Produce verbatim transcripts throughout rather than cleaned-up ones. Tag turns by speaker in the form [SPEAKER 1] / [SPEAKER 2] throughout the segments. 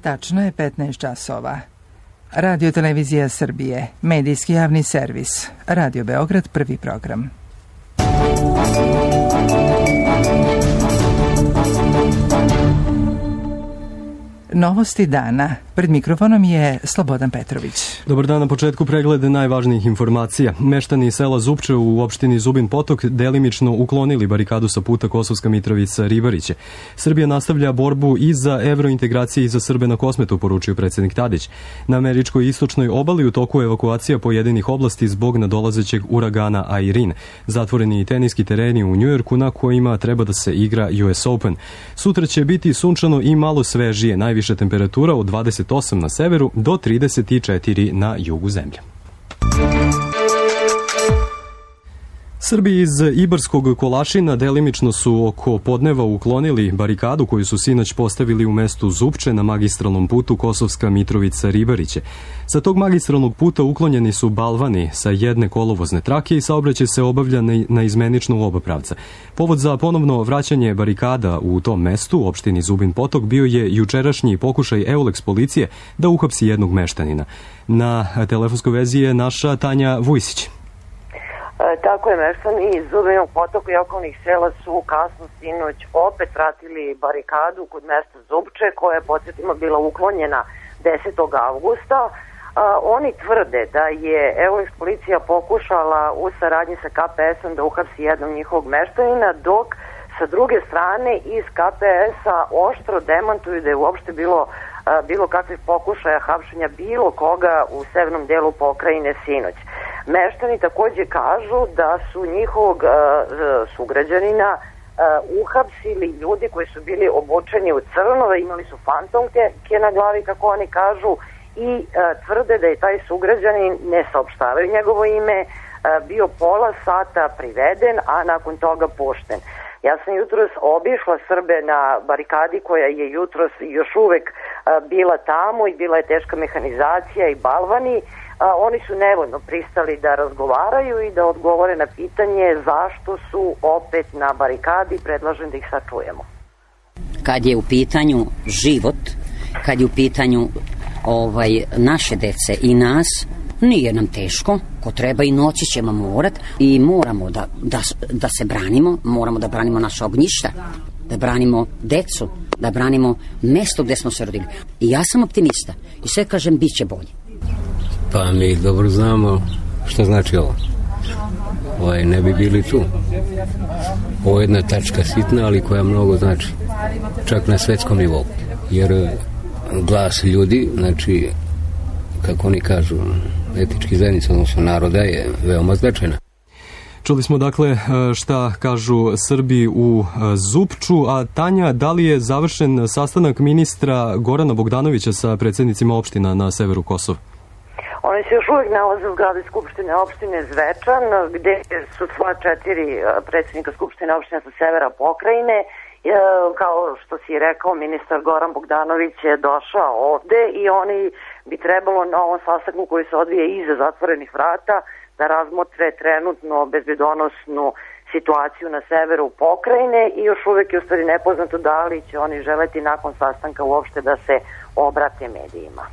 [SPEAKER 1] Tačno je petnaest časova. Radio Televizija Srbije, medijski javni servis. Radio Beograd, prvi program. Novosti dana. Pred mikrofonom je Slobodan Petrović.
[SPEAKER 2] Dobar dan, na početku preglede najvažnijih informacija. Meštani sela Zupče u opštini Zubin Potok delimično uklonili barikadu sa puta Kosovska Mitrovica-Ribariće. Srbija nastavlja borbu i za evrointegracije i za Srbe na Kosmetu, poručio predsjednik Tadić. Na američkoj istočnoj obali u toku evakuacija pojedinih oblasti zbog nadolazećeg uragana Airin. Zatvoreni i teniski tereni u Njujorku na kojima treba da se igra U S Open. Sutra će biti sunčano i malo svežije, najviša temperatura od dvadeset osam na severu do trideset četiri na jugu zemlje. Srbi iz Ibarskog Kolašina delimično su oko podneva uklonili barikadu koju su sinoć postavili u mestu Zupče na magistralnom putu Kosovska Mitrovica-Ribariće. Sa tog magistralnog puta uklonjeni su balvani sa jedne kolovozne trake i saobraćaj se obavlja na izmenično u oba pravca. Povod za ponovno vraćanje barikada u tom mestu, u opštini Zubin Potok, bio je jučerašnji pokušaj Eulex policije da uhapsi jednog meštanina. Na telefonskoj vezi je naša Tanja Vujsić.
[SPEAKER 3] Tako je, meštani iz Zubinog Potoka i okolnih sela su kasno sinoć opet vratili barikadu kod mesta Zupče, koja je, podsjetimo, bila uklonjena desetog avgusta. A, oni tvrde da je Eulex policija pokušala u saradnji sa K P S-om da uhapsi jednog njihovog meštanina, dok sa druge strane iz K P S-a oštro demantuju da je uopšte bilo, a, bilo kakvih pokušaja hapšenja bilo koga u severnom delu pokrajine sinoć. Meštani takođe kažu da su njihovog uh, sugrađanina uh, uhapsili ljudi koji su bili obučeni u crno, imali su fantomke na glavi, kako oni kažu, i uh, tvrde da je taj sugrađanin, ne saopštavaju njegovo ime, uh, bio pola sata priveden, a nakon toga pušten. Ja sam jutros obišla Srbe na barikadi koja je jutros još uvek uh, bila tamo i bila je teška mehanizacija i balvani. A, oni su nevoljno pristali da razgovaraju i da odgovore na pitanje zašto su opet na barikadi. Predlažem da ih sačujemo.
[SPEAKER 4] Kad je u pitanju život, kad je u pitanju ovaj, naše dece i nas, nije nam teško, ko treba i noći ćemo morat i moramo da, da, da se branimo, moramo da branimo naše ognjišta, da branimo decu, da branimo mesto gde smo se rodili. I ja sam optimista i sve kažem, bit će bolje.
[SPEAKER 5] Pa mi dobro znamo što znači ovo. Ovaj, ne bi bili tu. Ovo je jedna tačka sitna, ali koja mnogo znači. Čak na svetskom nivou. Jer glas ljudi, znači, kako oni kažu, etički zajednica, odnosno naroda, je veoma značajna.
[SPEAKER 2] Čuli smo dakle šta kažu Srbi u Zupču, a Tanja, da li je završen sastanak ministra Gorana Bogdanovića sa predsjednicima opština na severu Kosova?
[SPEAKER 3] Oni se još uvijek nalaze u zgradi Skupštine opštine Zvečan, gde su sva četiri predsjednika Skupštine opštine sa severa pokrajine. Kao što si rekao, ministar Goran Bogdanović je došao ovde i oni bi trebalo na ovom sastanku koji se odvije iza zatvorenih vrata da razmotre trenutno bezbedonosnu situaciju na severu pokrajine i još uvijek je u stvari nepoznato da li će oni želeti nakon sastanka uopšte da se obrate medijima.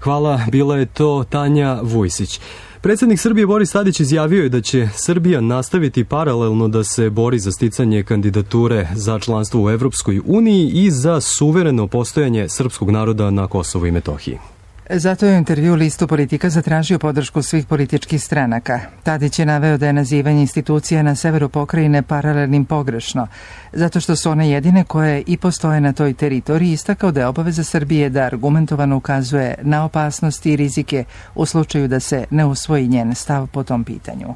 [SPEAKER 2] Hvala, bila je to Tanja Vujsić. Predsjednik Srbije Boris Tadić izjavio je da će Srbija nastaviti paralelno da se bori za sticanje kandidature za članstvo u Evropskoj uniji i za suvereno postojanje srpskog naroda na Kosovu i Metohiji.
[SPEAKER 1] Zato je u intervju listu Politika zatražio podršku svih političkih stranaka. Tadić je naveo da je nazivanje institucija na severu pokrajine paralelnim pogrešno, zato što su one jedine koje i postoje na toj teritoriji, istakao da je obaveza Srbije da argumentovano ukazuje na opasnosti i rizike u slučaju da se ne usvoji njen stav po tom pitanju.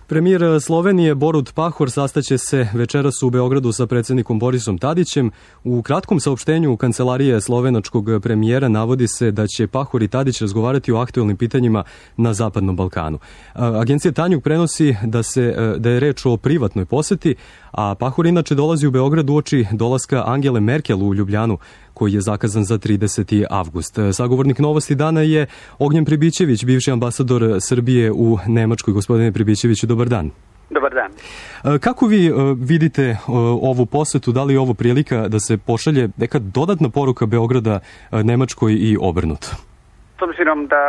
[SPEAKER 2] Premijer Slovenije Borut Pahor sastaće se večeras u Beogradu sa predsjednikom Borisom Tadićem. U kratkom saopštenju Kancelarije slovenačkog premijera navodi se da će Pahor i Tadić razgovarati o aktuelnim pitanjima na Zapadnom Balkanu. Agencija Tanjug prenosi da, se, da je reč o privatnoj poseti, a Pahor inače dolazi u Beograd uoči dolaska Angele Merkel u Ljubljanu, koji je zakazan za trideseti avgust. Sagovornik Novosti dana je Ognjen Pribićević, bivši ambasador Srbije u Nemačkoj. Gospodine Pribićeviću, dobar dan.
[SPEAKER 6] Dobar dan.
[SPEAKER 2] Kako vi vidite ovu posetu, da li je ovo prilika da se pošalje neka dodatna poruka Beograda Nemačkoj i obrnuto?
[SPEAKER 6] S obzirom da,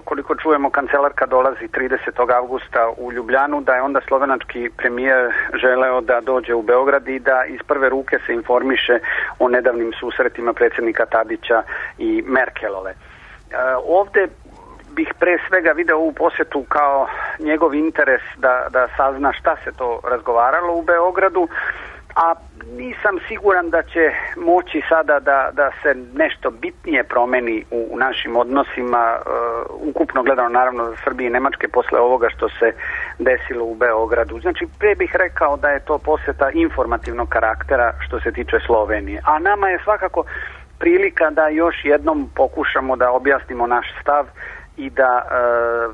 [SPEAKER 6] koliko čujemo, kancelarka dolazi tridesetog avgusta u Ljubljanu, da je onda slovenački premijer želeo da dođe u Beograd i da iz prve ruke se informiše o nedavnim susretima predsjednika Tadića i Merkelove. Ovde bih pre svega video ovu posjetu kao njegov interes da, da sazna šta se to razgovaralo u Beogradu, a nisam siguran da će moći sada da, da se nešto bitnije promeni u, u našim odnosima, uh, ukupno gledano naravno za Srbije i Nemačke posle ovoga što se desilo u Beogradu. Znači, pre bih rekao da je to posjeta informativnog karaktera što se tiče Slovenije. A nama je svakako prilika da još jednom pokušamo da objasnimo naš stav i da e,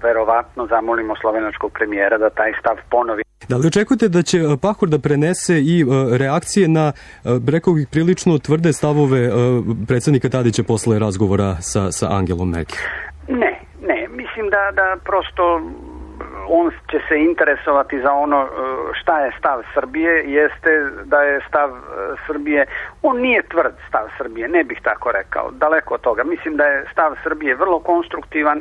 [SPEAKER 6] verovatno zamolimo slovenačkog premijera da taj stav ponovi.
[SPEAKER 2] Da li očekujete da će Pahor da prenese i e, reakcije na, e, rekao bih, prilično tvrde stavove e, predsjednika Tadića posle razgovora sa, sa Angelom Merkel?
[SPEAKER 6] Ne, ne. Mislim da, da prosto on će se interesovati za ono šta je stav Srbije, jeste da je stav Srbije, on nije tvrd stav Srbije, ne bih tako rekao, daleko od toga. Mislim da je stav Srbije vrlo konstruktivan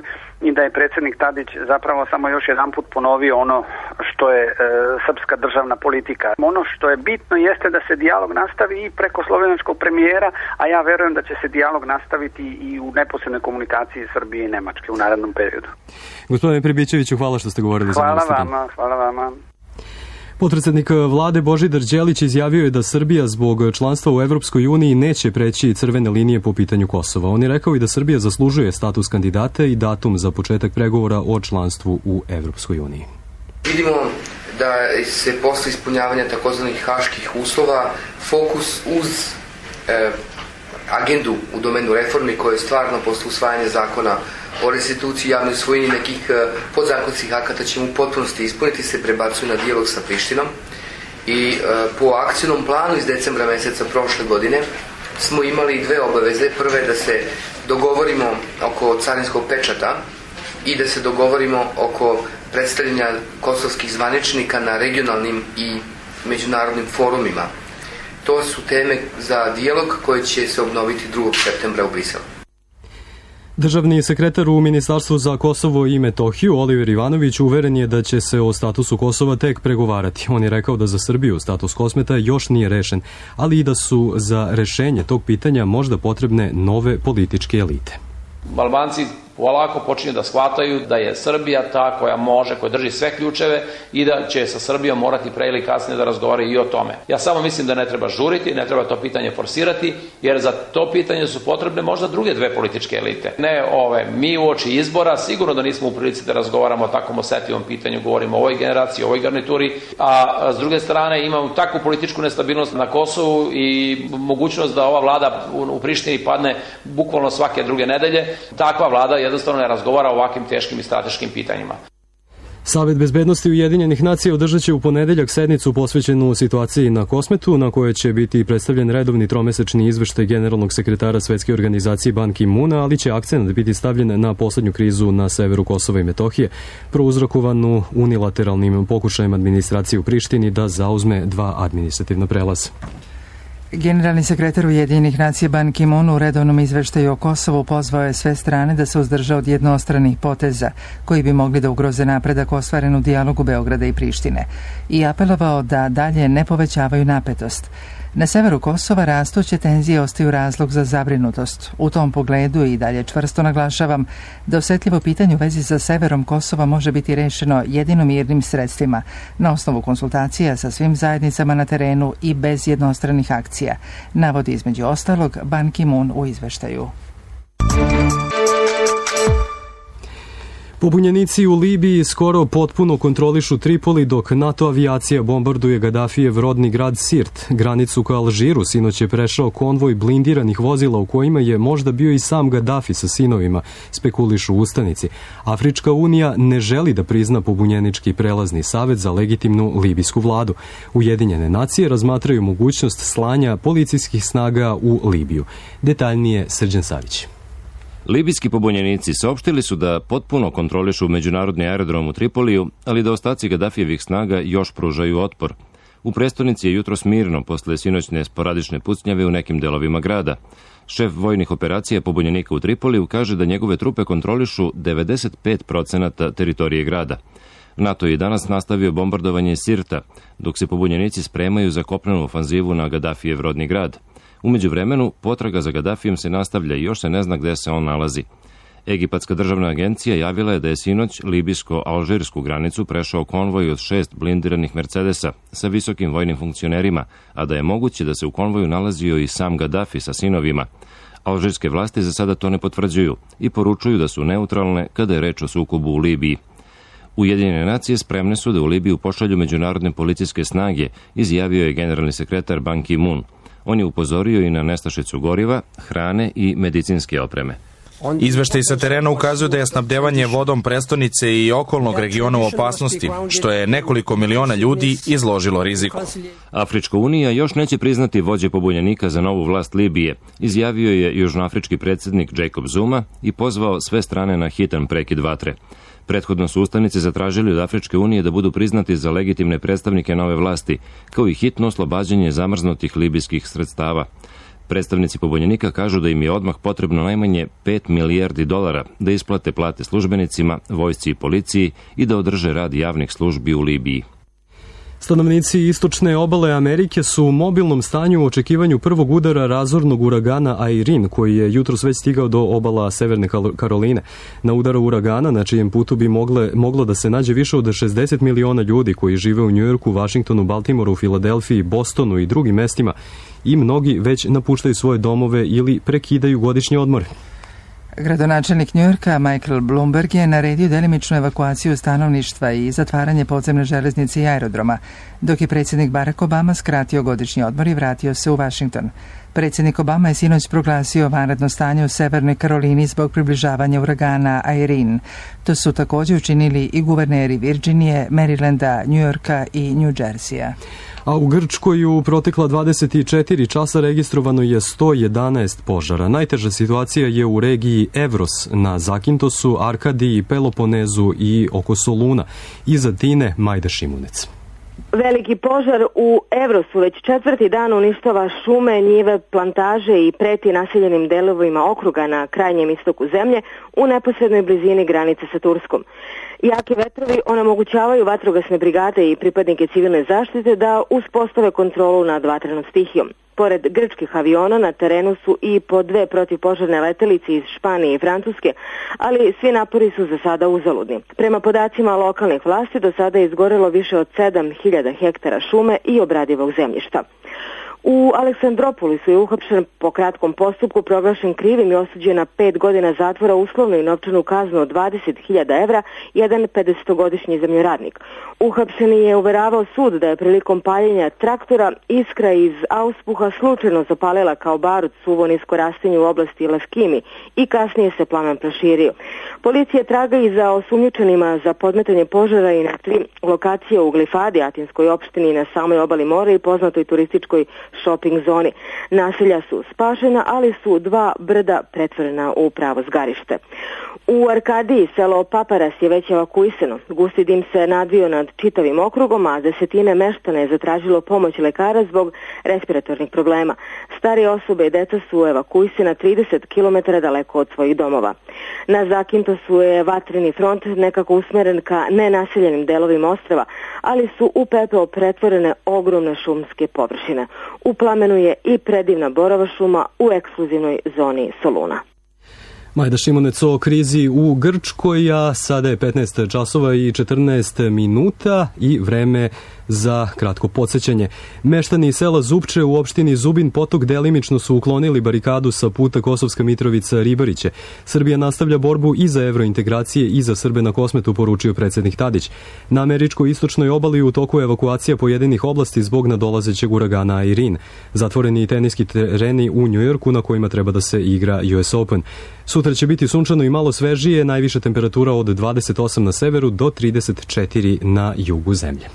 [SPEAKER 6] i da je predsjednik Tadić zapravo samo još jedan put ponovio ono što je e, srpska državna politika. Ono što je bitno jeste da se dijalog nastavi i preko slovenačkog premijera, a ja verujem da će se dijalog nastaviti i u neposrednoj komunikaciji Srbije i Nemačke u narednom periodu.
[SPEAKER 2] Gospodine Pribićeviću, hvala što ste govorili za nas.
[SPEAKER 6] Hvala vama, hvala vama.
[SPEAKER 2] Potpredsednik vlade Božidar Đelić izjavio je da Srbija zbog članstva u Evropskoj uniji neće preći crvene linije po pitanju Kosova. On je rekao i da Srbija zaslužuje status kandidata i datum za početak pregovora o članstvu u Evropskoj uniji.
[SPEAKER 7] Vidimo da se posle ispunjavanja takozvanih haških uslova fokus uz e, agendu u domenu reformi koje je stvarno posle usvajanja zakona o restituciji javnoj svojini nekih podzakonskih akata će mu u potpunosti ispuniti se prebacuje na dijalog sa Prištinom i e, po akcijnom planu iz decembra meseca prošle godine smo imali dve obaveze. Prva je da se dogovorimo oko carinskog pečata i da se dogovorimo oko predstavljanja kosovskih zvaničnika na regionalnim i međunarodnim forumima. To su teme za dijalog koji će se obnoviti drugog septembra u Briselu.
[SPEAKER 2] Državni sekretar u Ministarstvu za Kosovo i Metohiju, Oliver Ivanović, uveren je da će se o statusu Kosova tek pregovarati. On je rekao da za Srbiju status Kosmeta još nije rešen, ali i da su za rešenje tog pitanja možda potrebne nove političke elite.
[SPEAKER 8] Albanci polako počinju da shvataju da je Srbija ta koja može, koja drži sve ključeve i da će sa Srbijom morati pre ili kasnije da razgovaraju i o tome. Ja samo mislim da ne treba žuriti, ne treba to pitanje forsirati, jer za to pitanje su potrebne možda druge dve političke elite. Ne ove, mi uoči izbora, sigurno da nismo u prilici da razgovaramo o takvom osjetljivom pitanju, govorimo o ovoj generaciji, o ovoj garnituri, a s druge strane imamo takvu političku nestabilnost na Kosovu i mogućnost da ova vlada u Prištini padne bukvalno svake druge nedelje. Takva vlada jednostavno ne razgovara o ovakvim teškim i strateškim pitanjima.
[SPEAKER 2] Savet bezbednosti Ujedinjenih nacija održat će u ponedeljak sednicu posvećenu situaciji na Kosmetu, na kojoj će biti predstavljen redovni tromesečni izveštaj generalnog sekretara Svetske organizacije Ban Ki-moona, ali će akcent biti stavljen na poslednju krizu na severu Kosova i Metohije, prouzrokovanu unilateralnim pokušajem administracije u Prištini da zauzme dva administrativna prelaza.
[SPEAKER 1] Generalni sekretar Ujedinjenih nacija Ban Ki-moon u redovnom izveštaju o Kosovu pozvao je sve strane da se uzdrže od jednostranih poteza koji bi mogli da ugroze napredak ostvaren u dijalogu Beograda i Prištine i apelovao da dalje ne povećavaju napetost. Na severu Kosova rastuće tenzije ostaju razlog za zabrinutost. U tom pogledu i dalje čvrsto naglašavam da osetljivo pitanje u vezi sa severom Kosova može biti rešeno jedino mirnim sredstvima, na osnovu konsultacija sa svim zajednicama na terenu i bez jednostranih akcija, navodi između ostalog Ban Ki-moon u izveštaju.
[SPEAKER 2] Pobunjenici u Libiji skoro potpuno kontrolišu Tripoli dok NATO avijacija bombarduje Gadafijev rodni grad Sirt. Granicu ka Alžiru sinoć je prešao konvoj blindiranih vozila u kojima je možda bio i sam Gadafi sa sinovima, spekulišu ustanici. Afrička unija ne želi da prizna pobunjenički prelazni savet za legitimnu libijsku vladu. Ujedinjene nacije razmatraju mogućnost slanja policijskih snaga u Libiju. Detaljnije Srđan Savić.
[SPEAKER 9] Libijski pobunjenici saopštili su da potpuno kontrolišu međunarodni aerodrom u Tripoliju, ali da ostaci Gadafijevih snaga još pružaju otpor. U prestonici je jutros mirno posle sinoćne sporadične pucnjave u nekim delovima grada. Šef vojnih operacija pobunjenika u Tripoliju kaže da njegove trupe kontrolišu devedeset pet procenata teritorije grada. NATO je danas nastavio bombardovanje Sirta, dok se pobunjenici spremaju za kopnenu ofanzivu na Gadafijev rodni grad. U međuvremenu, potraga za Gadafijem se nastavlja i još se ne zna gde se on nalazi. Egipatska državna agencija javila je da je sinoć libijsko-alžirsku granicu prešao konvoj od šest blindiranih Mercedesa sa visokim vojnim funkcionerima, a da je moguće da se u konvoju nalazio i sam Gadafi sa sinovima. Alžirske vlasti za sada to ne potvrđuju i poručuju da su neutralne kada je reč o sukobu u Libiji. Ujedinjene nacije spremne su da u Libiju pošalju međunarodne policijske snage, izjavio je generalni sekretar Ban Ki-moon. On je upozorio i na nestašicu goriva, hrane i medicinske opreme.
[SPEAKER 10] Izveštaj sa terena ukazuju da je snabdevanje vodom prestonice i okolnog regiona u opasnosti, što je nekoliko miliona ljudi izložilo riziku.
[SPEAKER 9] Afrička unija još neće priznati vođe pobunjenika za novu vlast Libije, izjavio je južnoafrički predsjednik Jacob Zuma i pozvao sve strane na hitan prekid vatre. Prethodno su ustanici zatražili od Afričke unije da budu priznati za legitimne predstavnike nove vlasti, kao i hitno oslobađanje zamrznutih libijskih sredstava. Predstavnici pobunjenika kažu da im je odmah potrebno najmanje pet milijardi dolara da isplate plate službenicima, vojsci i policiji i da održe rad javnih službi u Libiji.
[SPEAKER 2] Stanovnici istočne obale Amerike su u mobilnom stanju u očekivanju prvog udara razornog uragana Irene, koji je jutros već stigao do obala Severne Karoline. Na udaru uragana, na čijem putu bi mogle, moglo da se nađe više od šezdeset miliona ljudi koji žive u Njujorku, Vašingtonu, Baltimoru, Filadelfiji, Bostonu i drugim mestima, i mnogi već napuštaju svoje domove ili prekidaju godišnji odmor.
[SPEAKER 1] Gradonačelnik Njujorka Michael Bloomberg je naredio delimičnu evakuaciju stanovništva i zatvaranje podzemne železnice i aerodroma, dok je predsjednik Barack Obama skratio godišnji odmor i vratio se u Washington. Predsjednik Obama je sinoć proglasio vanredno stanje u Severnoj Karolini zbog približavanja uragana Irene. To su također učinili i guverneri Virginije, Marylanda, Njujorka i New Jerseya.
[SPEAKER 2] A u Grčkoj u protekla dvadeset četiri časa registrovano je sto jedanaest požara. Najteža situacija je u regiji Evros na Zakintosu, Arkadiji, Peloponezu i oko Soluna. Iza Tine Majda Šimunec.
[SPEAKER 11] Veliki požar u Evrosu već četvrti dan uništava šume, njive, plantaže i preti naseljenim delovima okruga na krajnjem istoku zemlje u neposrednoj blizini granice sa Turskom. Jaki vetrovi onemogućavaju vatrogasne brigade i pripadnike civilne zaštite da uspostave kontrolu nad vatrenom stihijom. Pored grčkih aviona na terenu su i po dve protivpožarne letelice iz Španije i Francuske, ali svi napori su za sada uzaludni. Prema podacima lokalnih vlasti do sada je izgorelo više od sedam hiljada hektara šume i obradivog zemljišta. U Aleksandropolisu je uhapšen po kratkom postupku, proglašen krivim i osuđen na pet godina zatvora, uslovnu i novčanu kaznu od dvadeset hiljada evra, jedan pedesetogodišnji zemljoradnik. Uhapšeni je uveravao sud da je prilikom paljenja traktora iskra iz auspuha slučajno zapalila kao barut suvo nisko rastinje u oblasti Laskimi i kasnije se plamen proširio. Policija traga i za osumnjičenima za podmetanje požara i na tri lokacije u Glifadi, atinskoj opštini na samoj obali mora i poznatoj turističkoj shopping zoni. Naselja su spašena, ali su dva brda pretvorena u pravo zgarište. U Arkadiji selo Paparas je već evakuisano. Gusti dim se nadvio nad čitavim okrugom, a desetine meštana je zatražilo pomoć lekara zbog respiratornih problema. Starije osobe i deca su evakuisana trideset kilometara daleko od svojih domova. Na Zakintosu je vatreni front nekako usmeren ka nenaseljenim delovima ostrva, ali su u pepeo pretvorene ogromne šumske površine. U plamenu je i predivna borova šuma u ekskluzivnoj zoni Soluna.
[SPEAKER 2] Majda Šimunec o krizi u Grčkoj, a sada je petnaest časova i četrnaest minuta i vreme za kratko podsjećanje. Meštani sela Zupče u opštini Zubin Potok delimično su uklonili barikadu sa puta Kosovska Mitrovica Ribariće. Srbija nastavlja borbu i za evrointegracije i za Srbe na Kosmetu, poručio predsjednik Tadić. Na američkoj istočnoj obali u toku evakuacija pojedinih oblasti zbog nadolazećeg uragana Irene. Zatvoreni teniski tereni u Njujorku na kojima treba da se igra U S Open. Sutra će biti sunčano i malo svežije, najviša temperatura od dvadeset osam na severu do trideset četiri na jugu zemlje.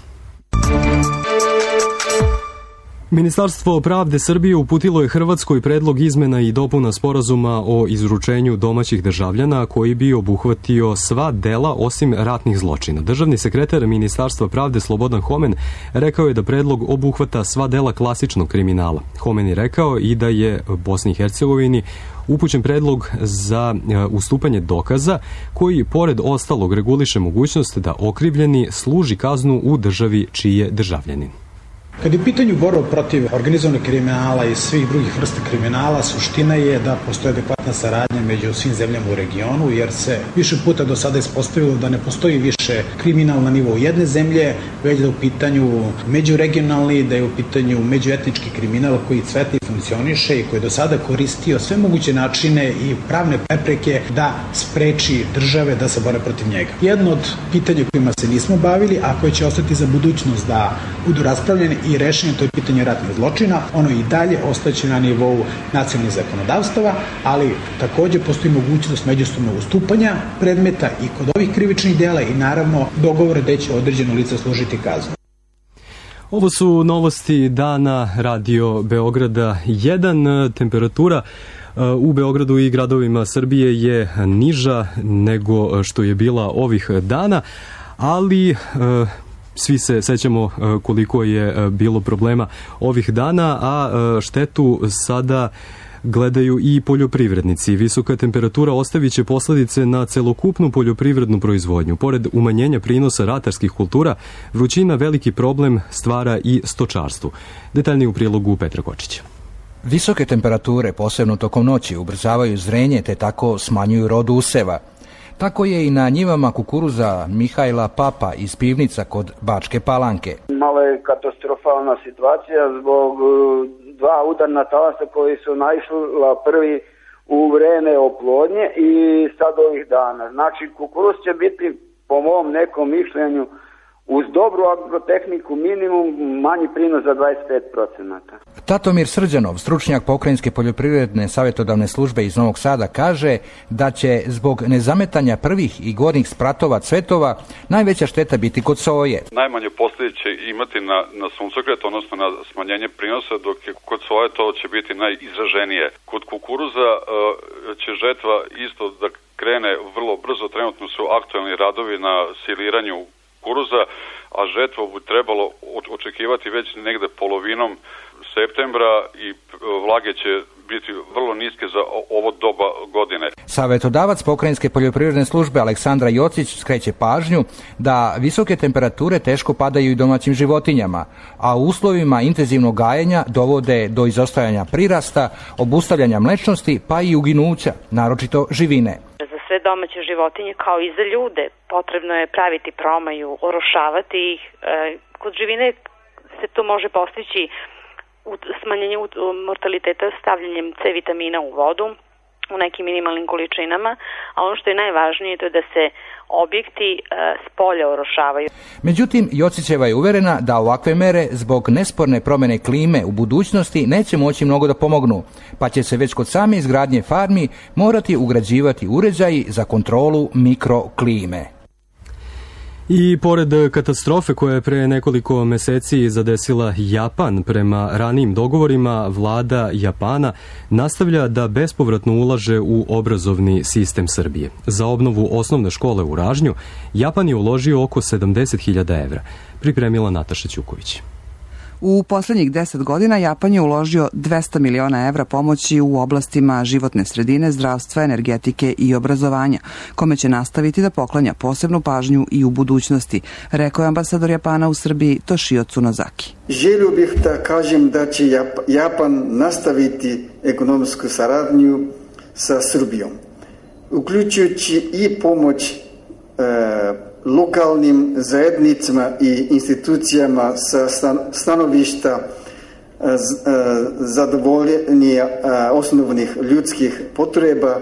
[SPEAKER 2] Ministarstvo pravde Srbije uputilo je Hrvatskoj predlog izmena i dopuna sporazuma o izručenju domaćih državljana koji bi obuhvatio sva dela osim ratnih zločina. Državni sekretar Ministarstva pravde Slobodan Homen rekao je da predlog obuhvata sva dela klasičnog kriminala. Homen je rekao i da je Bosni i Hercegovini upućen predlog za ustupanje dokaza koji pored ostalog reguliše mogućnost da okrivljeni služi kaznu u državi čiji je državljanin.
[SPEAKER 12] Kad je pitanju borba protiv organizovanog kriminala i svih drugih vrsta kriminala, suština je da postoje adekvatna saradnja među svim zemljama u regionu, jer se više puta do sada ispostavilo da ne postoji više kriminal na nivou jedne zemlje, već da je u pitanju međuregionalni, da je u pitanju međuetnički kriminal koji cveta i funkcioniše i koji je do sada koristio sve moguće načine i pravne prepreke da spreči države da se bore protiv njega. Jedno od pitanja kojima se nismo bavili, a koje će ostati za budućnost da budu raspravljene i rešenje, to je pitanje ratnih zločina, ono i dalje ostaće na nivou nacionalnih zakonodavstava, ali takođe postoji mogućnost međusobnog ustupanja predmeta i kod ovih krivičnih dela i naravno dogovore gde će određeno lice služiti kaznu.
[SPEAKER 2] Ovo su novosti dana Radio Beograda jedan. Temperatura u Beogradu i gradovima Srbije je niža nego što je bila ovih dana, ali svi se sećamo koliko je bilo problema ovih dana, a štetu sada gledaju i poljoprivrednici. Visoka temperatura ostavit će posledice na celokupnu poljoprivrednu proizvodnju. Pored umanjenja prinosa ratarskih kultura, vrućina veliki problem stvara i stočarstvu. Detaljnije u prilogu Petra Kočića.
[SPEAKER 13] Visoke temperature, posebno tokom noći, ubrzavaju zrenje te tako smanjuju rod useva. Tako je i na njivama kukuruza Mihajla Papa iz Pivnica kod Bačke Palanke.
[SPEAKER 14] Malo je katastrofalna situacija zbog dva udarna talasa koji su naišla prvi u vreme oplodnje i sad ovih dana. Znači kukuruz će biti po mom nekom mišljenju uz dobru agrotehniku minimum manji prinos za dvadeset pet procenata.
[SPEAKER 13] Tatomir Srđanov, stručnjak Pokrajinske poljoprivredne savjetodavne službe iz Novog Sada, kaže da će zbog nezametanja prvih i gornjih spratova cvetova najveća šteta biti kod soje.
[SPEAKER 15] Najmanje posljedice će imati na, na suncokret, odnosno na smanjenje prinosa, dok je kod soje to će biti najizraženije. Kod kukuruza uh, će žetva isto da krene vrlo brzo, trenutno su aktualni radovi na siliranju kukuruza, a žetvu bi trebalo očekivati već negde polovinom septembra i vlage će biti vrlo niske za ovo doba godine.
[SPEAKER 13] Savjetodavac Pokrajinske poljoprivredne službe Aleksandra Jocić skreće pažnju da visoke temperature teško padaju i domaćim životinjama, a u uslovima intenzivnog gajenja dovode do izostajanja prirasta, obustavljanja mlečnosti pa i uginuća, naročito živine.
[SPEAKER 16] Za sve domaće životinje kao i za ljude potrebno je praviti promaju, orošavati ih. Kod živine se to može postići smanjenje mortaliteta stavljanjem C vitamina u vodu u nekim minimalnim količinama, a ono što je najvažnije to je da se objekti s polja orošavaju.
[SPEAKER 13] Međutim, Jocićeva je uverena da ovakve mere zbog nesporne promjene klime u budućnosti neće moći mnogo da pomognu, pa će se već kod same izgradnje farmi morati ugrađivati uređaji za kontrolu mikroklime.
[SPEAKER 2] I pored katastrofe koja je pre nekoliko meseci zadesila Japan, prema ranijim dogovorima vlada Japana nastavlja da bespovratno ulaže u obrazovni sistem Srbije. Za obnovu osnovne škole u Ražnju Japan je uložio oko sedamdeset hiljada evra, pripremila Nataša Ćuković.
[SPEAKER 17] U poslednjih deset godina Japan je uložio dvesta miliona evra pomoći u oblastima životne sredine, zdravstva, energetike i obrazovanja, kome će nastaviti da poklanja posebnu pažnju i u budućnosti, rekao je ambasador Japana u Srbiji Toshio Tsunozaki.
[SPEAKER 18] Želio bih da kažem da će Japan nastaviti ekonomsku saradnju sa Srbijom, uključujući i pomoć e, lokalnim zajednicama i institucijama sa stanovišta zadovoljenja osnovnih ljudskih potreba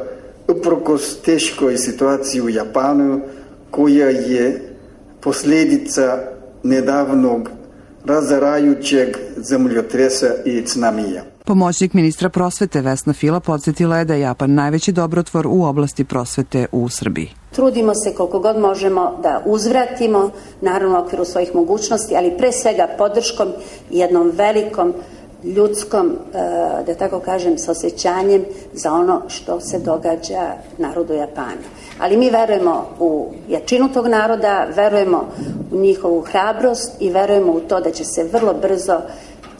[SPEAKER 18] uprkos teškoj situaciji u Japanu koja je posljedica nedavnog razarajućeg zemljotresa i tsunamija.
[SPEAKER 17] Pomoćnik ministra prosvete Vesna Fila podsjetila je da je Japan najveći dobrotvor u oblasti prosvete u Srbiji.
[SPEAKER 19] Trudimo se koliko god možemo da uzvratimo, naravno u okviru svojih mogućnosti, ali pre svega podrškom jednom velikom ljudskom, da tako kažem, s osjećanjem za ono što se događa narodu Japana. Ali mi verujemo u jačinu tog naroda, verujemo u njihovu hrabrost i verujemo u to da će se vrlo brzo,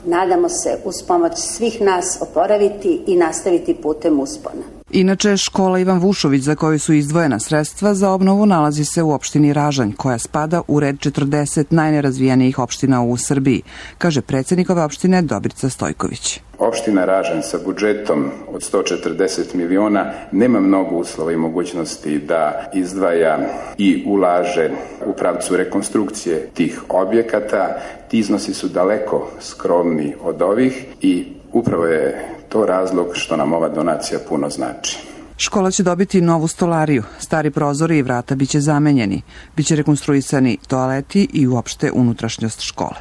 [SPEAKER 19] nadamo se, uz pomoć svih nas oporaviti i nastaviti putem uspona.
[SPEAKER 17] Inače, škola Ivan Vušović, za koju su izdvojena sredstva za obnovu, nalazi se u opštini Ražanj, koja spada u red četrdeset najnerazvijenijih opština u Srbiji, kaže predsjednik ove opštine Dobrica Stojković.
[SPEAKER 20] Opština Ražanj sa budžetom od sto četrdeset miliona nema mnogo uslova i mogućnosti da izdvaja i ulaže u pravcu rekonstrukcije tih objekata. Ti iznosi su daleko skromni od ovih i upravo je to razlog što nam ova donacija puno znači.
[SPEAKER 17] Škola će dobiti novu stolariju, stari prozori i vrata biće zamenjeni, biće rekonstruisani toaleti i uopšte unutrašnjost škole.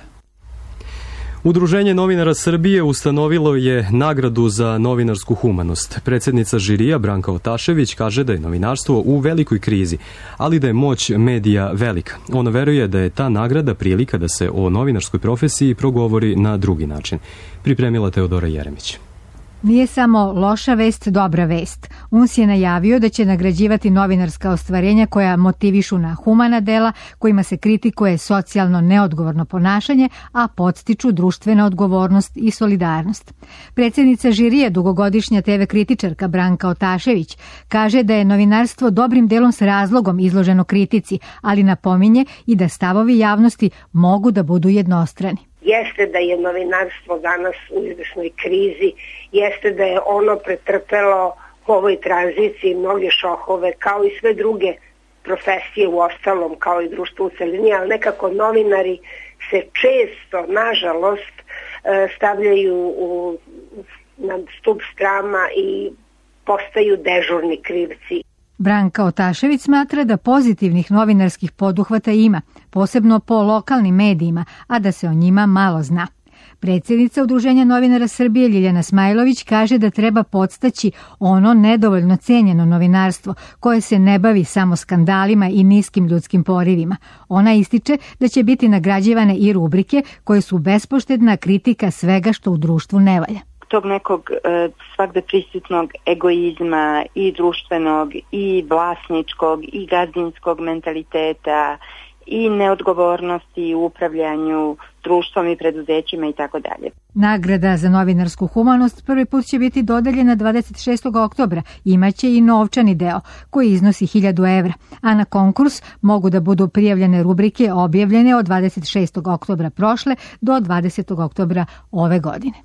[SPEAKER 2] Udruženje novinara Srbije ustanovilo je nagradu za novinarsku humanost. Predsjednica žirija Branka Otašević kaže da je novinarstvo u velikoj krizi, ali da je moć medija velika. Ona veruje da je ta nagrada prilika da se o novinarskoj profesiji progovori na drugi način. Pripremila Teodora Jeremić.
[SPEAKER 21] Nije samo loša vest, dobra vest. U N S je najavio da će nagrađivati novinarska ostvarenja koja motivišu na humana dela, kojima se kritikuje socijalno neodgovorno ponašanje, a podstiču društvena odgovornost i solidarnost. Predsjednica žirije, dugogodišnja te ve kritičarka Branka Otašević, kaže da je novinarstvo dobrim delom s razlogom izloženo kritici, ali napominje i da stavovi javnosti mogu da budu jednostrani.
[SPEAKER 22] Jeste da je novinarstvo danas u izvršnoj krizi, jeste da je ono pretrpelo u ovoj tranziciji mnoge šokove, kao i sve druge profesije u ostalom, kao i društvo u celini, ali nekako novinari se često, nažalost, stavljaju u, na stup srama i postaju dežurni krivci.
[SPEAKER 21] Branka Otašević smatra da pozitivnih novinarskih poduhvata ima, posebno po lokalnim medijima, a da se o njima malo zna. Predsjednica Udruženja novinara Srbije Ljiljana Smajlović kaže da treba podstaći ono nedovoljno cenjeno novinarstvo koje se ne bavi samo skandalima i niskim ljudskim porivima. Ona ističe da će biti nagrađivane i rubrike koje su bespoštedna kritika svega što u društvu ne valja.
[SPEAKER 23] Tog nekog e, svakde prisutnog egoizma i društvenog i vlasničkog i gazdinskog mentaliteta i neodgovornosti u upravljanju društvom i preduzećima i tako dalje.
[SPEAKER 21] Nagrada za novinarsku humanost prvi put će biti dodeljena dvadeset šestog oktobra. Imaće i novčani deo koji iznosi hiljadu evra, a na konkurs mogu da budu prijavljene rubrike objavljene od dvadeset šestog oktobra prošle do dvadesetog oktobra ove godine.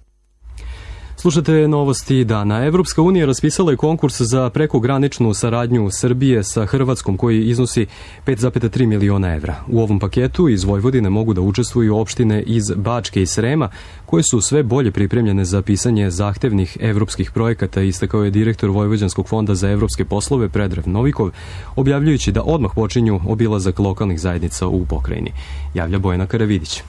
[SPEAKER 2] Slušate novosti dana. Evropska unija raspisala je konkurs za prekograničnu saradnju Srbije sa Hrvatskom koji iznosi pet zarez tri miliona evra. U ovom paketu iz Vojvodine mogu da učestvuju opštine iz Bačke i Srema koje su sve bolje pripremljene za pisanje zahtevnih evropskih projekata, istakao je direktor Vojvođanskog fonda za evropske poslove Predrag Novikov, objavljujući da odmah počinju obilazak lokalnih zajednica u pokrajini. Javlja Bojana Karavidić.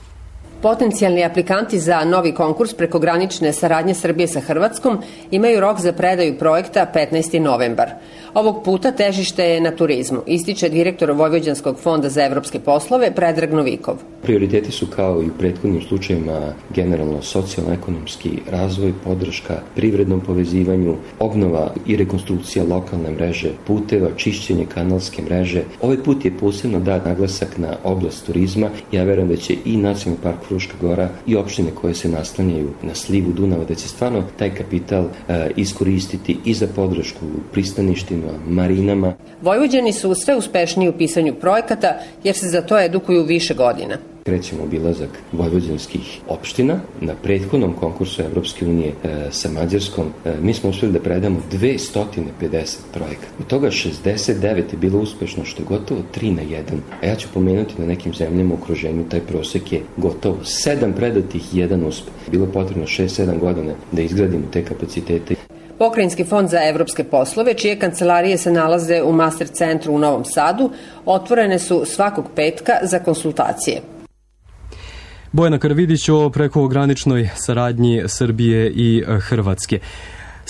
[SPEAKER 24] Potencijalni aplikanti za novi konkurs prekogranične saradnje Srbije sa Hrvatskom imaju rok za predaju projekta petnaesti novembar. Ovog puta težište je na turizmu, ističe direktor Vojvođanskog fonda za evropske poslove Predrag Novikov.
[SPEAKER 25] Prioriteti su kao i u prethodnim slučajevima generalno socijalno-ekonomski razvoj, podrška privrednom povezivanju, obnova i rekonstrukcija lokalne mreže puteva, čišćenje kanalske mreže. Ovaj put je posebno dat naglasak na oblast turizma. Ja verujem da će i Nacionalni park Fruška Gora i opštine koje se naslanjaju na slivu Dunava, da će stvarno taj kapital e, iskoristiti i za podršku pristaništima, marinama.
[SPEAKER 24] Vojvođani su sve uspešniji u pisanju projekata jer se za to edukuju više godina.
[SPEAKER 25] Krećemo obilazak vojvođanskih opština. Na prethodnom konkursu Evropske unije e, sa Mađarskom e, mi smo uspjeli da predamo dvesta pedeset projekata. Od toga šezdeset devet je bilo uspešno, što je gotovo tri na jedan. A ja ću pomenuti na nekim zemljama u okruženju taj prosek je gotovo sedam predatih i jedan uspeh. Bilo potrebno šest sedam godina da izgradimo te kapacitete.
[SPEAKER 24] Pokrajinski fond za evropske poslove, čije kancelarije se nalaze u Master centru u Novom Sadu, otvorene su svakog petka za konsultacije.
[SPEAKER 2] Bojana Karavidić o prekograničnoj saradnji Srbije i Hrvatske.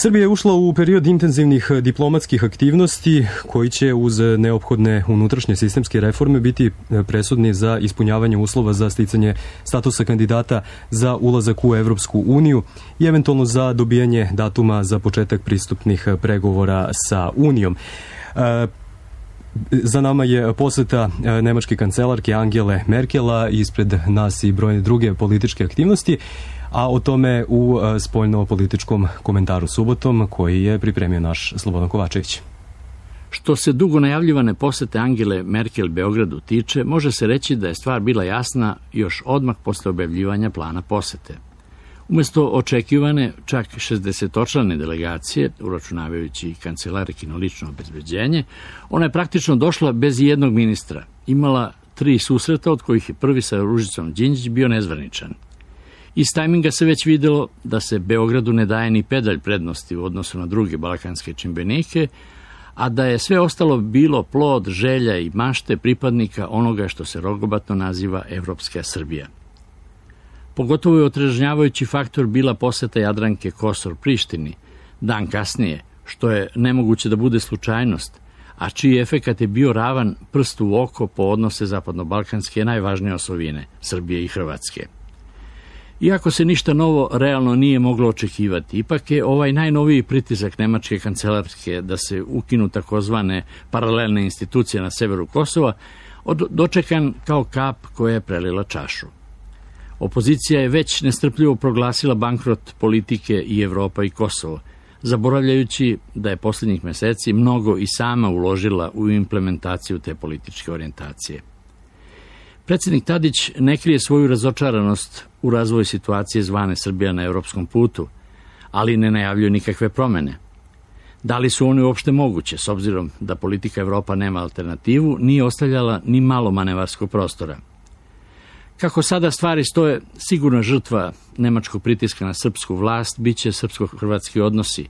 [SPEAKER 2] Srbija je ušla u period intenzivnih diplomatskih aktivnosti koji će uz neophodne unutrašnje sistemske reforme biti presudni za ispunjavanje uslova za sticanje statusa kandidata za ulazak u Evropsku uniju i eventualno za dobijanje datuma za početak pristupnih pregovora sa Unijom. Za nama je poseta nemačke kancelarke Angele Merkela, ispred nas i brojne druge političke aktivnosti, a o tome u spoljno-političkom komentaru subotom koji je pripremio naš Slobodan Kovačević.
[SPEAKER 3] Što se dugo najavljivane posete Angele Merkel Beogradu tiče, može se reći da je stvar bila jasna još odmah posle objavljivanja plana posete. Umesto očekivane čak šezdesetočlane delegacije, uračunavajući kancelarkino lično obezbeđenje, ona je praktično došla bez jednog ministra. Imala tri susreta, od kojih je prvi sa Ružicom Đinđić bio nezvaničan. Iz tajminga se već videlo da se Beogradu ne daje ni pedalj prednosti u odnosu na druge balkanske čimbenike, a da je sve ostalo bilo plod želja i mašte pripadnika onoga što se rogobatno naziva Evropska Srbija. Pogotovo je otrežnjavajući faktor bila poseta Jadranke Kosor Prištini, dan kasnije, što je nemoguće da bude slučajnost, a čiji efekat je bio ravan prstu u oko po odnose zapadno-balkanske najvažnije osovine, Srbije i Hrvatske. Iako se ništa novo realno nije moglo očekivati, ipak je ovaj najnoviji pritisak nemačke kancelarske da se ukinu takozvane paralelne institucije na severu Kosova dočekan kao kap koja je prelila čašu. Opozicija je već nestrpljivo proglasila bankrot politike i Evropa i Kosovo, zaboravljajući da je posljednjih meseci mnogo i sama uložila u implementaciju te političke orijentacije. Predsjednik Tadić ne krije svoju razočaranost u razvoju situacije zvane Srbija na evropskom putu, ali ne najavljuje nikakve promene. Da li su one uopšte moguće, s obzirom da politika Evropa nema alternativu, nije ostavljala ni malo manevarskog prostora. Kako sada stvari stoje, sigurna žrtva nemačkog pritiska na srpsku vlast biće srpsko-hrvatski odnosi,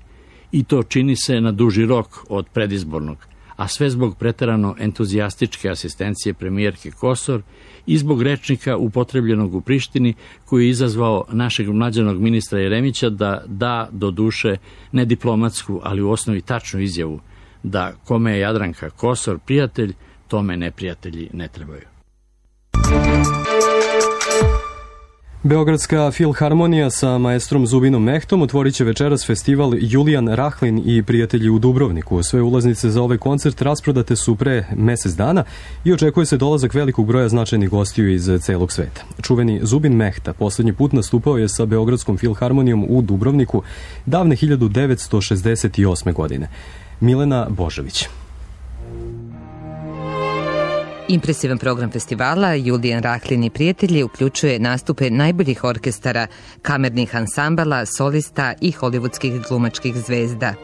[SPEAKER 3] i to čini se na duži rok od predizbornog, a sve zbog preterano entuzijastičke asistencije premijerke Kosor i zbog rečnika upotrebljenog u Prištini koji je izazvao našeg mlađanog ministra Jeremića da da do duše ne diplomatsku, ali u osnovi tačnu izjavu da kome je Jadranka Kosor prijatelj, tome neprijatelji ne trebaju.
[SPEAKER 2] Beogradska filharmonija sa maestrom Zubinom Mehtom otvorit će večeras festival Julijan Rahlin i prijatelji u Dubrovniku. Sve ulaznice za ovaj koncert rasprodate su pre mesec dana i očekuje se dolazak velikog broja značajnih gostiju iz celog sveta. Čuveni Zubin Mehta poslednji put nastupao je sa Beogradskom filharmonijom u Dubrovniku davne hiljadu devetsto šezdeset osme. godine. Milena Božović.
[SPEAKER 4] Impresivan program festivala Julijan Rahlin i prijatelji uključuje nastupe najboljih orkestara, kamernih ansambala, solista i hollywoodskih glumačkih zvezda.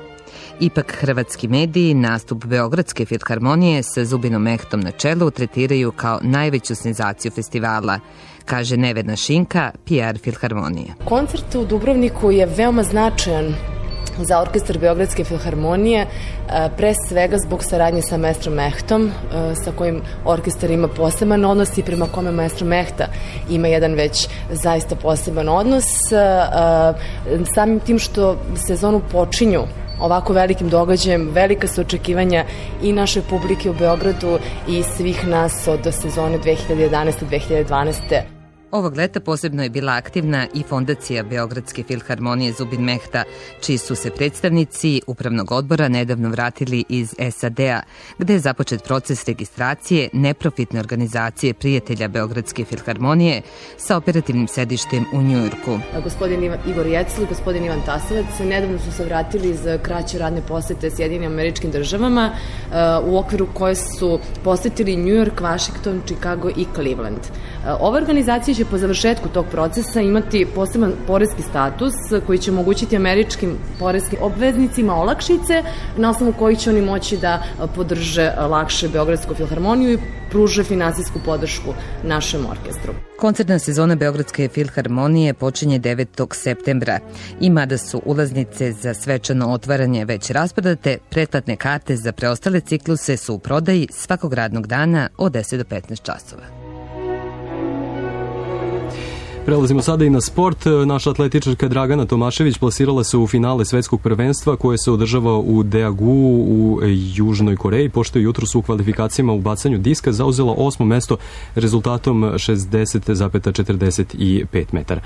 [SPEAKER 4] Ipak hrvatski mediji nastup Beogradske filharmonije sa Zubinom Mehtom na čelu tretiraju kao najveću senzaciju festivala, kaže Nevena Šinka, P R filharmonije.
[SPEAKER 5] Koncert u Dubrovniku je veoma značajan za orkestar Beogradske filharmonije, pre svega zbog saradnje sa maestrom Mehtom, sa kojim orkestar ima poseban odnos i prema kome maestro Mehta ima jedan već zaista poseban odnos. Samim tim što sezonu počinju ovako velikim događajem, velika su očekivanja i naše publike u Beogradu i svih nas od sezone dve hiljade jedanaeste do dve hiljade dvanaeste.
[SPEAKER 4] Ovog leta posebno je bila aktivna i fondacija Beogradske filharmonije Zubin Mehta, čiji su se predstavnici upravnog odbora nedavno vratili iz S A D-a, gde je započet proces registracije neprofitne organizacije prijatelja Beogradske filharmonije sa operativnim sedištem u Njujorku.
[SPEAKER 5] Gospodin Igor Jecl i gospodin Ivan Tasovac nedavno su se vratili iz kraće radne posete Sjedinim Američkim državama, u okviru koje su posetili Njujork, Washington, Chicago i Cleveland. Ova organizacija će po završetku tog procesa imati poseban poreski status koji će omogućiti američkim poreskim obveznicima olakšice na osnovu kojih će oni moći da podrže lakše Beogradsku filharmoniju i pruže finansijsku podršku našem orkestru.
[SPEAKER 4] Koncertna sezona Beogradske filharmonije počinje devetog septembra. I mada su ulaznice za svečano otvaranje već rasprodate, pretplatne karte za preostale cikluse su u prodaji svakog radnog dana od deset do petnaest časova.
[SPEAKER 2] Prelazimo sada i na sport. Naša atletičarka Dragana Tomašević plasirala se u finale svetskog prvenstva koje se održava u Daegu u Južnoj Koreji, pošto je jutros u kvalifikacijama u bacanju diska zauzela osmo mesto rezultatom šezdeset zarez četrdeset pet metara.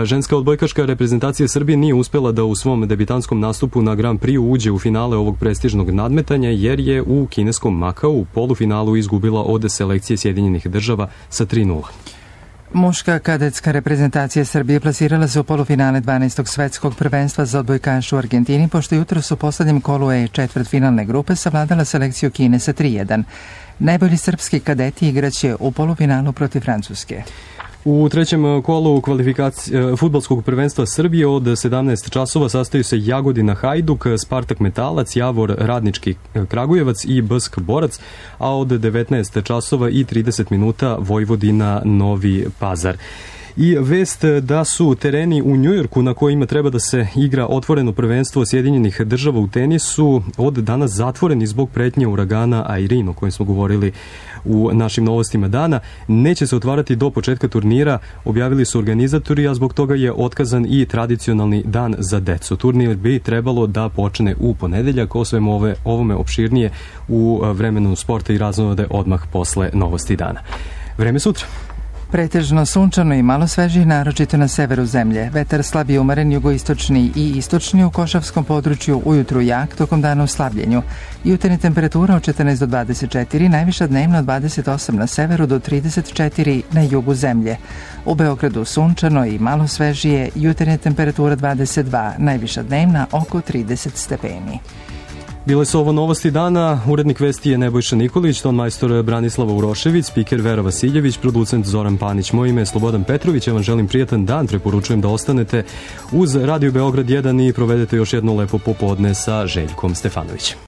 [SPEAKER 2] Ženska odbojkaška reprezentacija Srbije nije uspela da u svom debitantskom nastupu na Grand Prix uđe u finale ovog prestižnog nadmetanja jer je u kineskom Makau u polufinalu izgubila od selekcije Sjedinjenih država sa tri nula.
[SPEAKER 1] Muška kadetska reprezentacija Srbije plasirala se u polufinale dvanaestog svetskog prvenstva za odbojkaše u Argentini, pošto jutros u poslednjem kolu E četvrtfinalne grupe savladala selekciju Kine sa tri jedan. Najbolji srpski kadeti igraće u polufinalu protiv Francuske.
[SPEAKER 2] U trećem kolu kvalifikacije fudbalskog prvenstva Srbije od sedamnaest časova sastaju se Jagodina Hajduk, Spartak Metalac, Javor Radnički Kragujevac i B S K Borac, a od devetnaest časova i trideset minuta Vojvodina Novi Pazar. I vest da su tereni u Njujorku na kojima treba da se igra otvoreno prvenstvo Sjedinjenih država u tenisu od danas zatvoreni zbog pretnje uragana Irene, o kojem smo govorili u našim novostima dana. Neće se otvarati do početka turnira, objavili su organizatori, a zbog toga je otkazan i tradicionalni dan za decu. Turnir bi trebalo da počne u ponedeljak, o svemu ove, ovome opširnije u vremenu sporta i raznode odmah posle novosti dana. Vreme sutra.
[SPEAKER 1] Pretežno sunčano i malo svežije, naročito na severu zemlje. Vetar slab i umeren, jugoistočni i istočni u Košavskom području, ujutru jak, tokom dana u slabljenju. Jutarnja temperatura od četrnaest do dvadeset četiri, najviša dnevna od dvadeset osam na severu do trideset četiri na jugu zemlje. U Beogradu sunčano i malo svežije, jutarnja temperatura dvadeset dva, najviša dnevna oko trideset stepeni.
[SPEAKER 2] Bile su ovo novosti dana, urednik vesti je Nebojša Nikolić, ton majstor Branislava Urošević, spiker Vera Vasiljević, producent Zoran Panić. Moje ime je Slobodan Petrović, ja vam želim prijatan dan, preporučujem da ostanete uz Radio Beograd jedan i provedete još jedno lepo popodne sa Željkom Stefanovićem.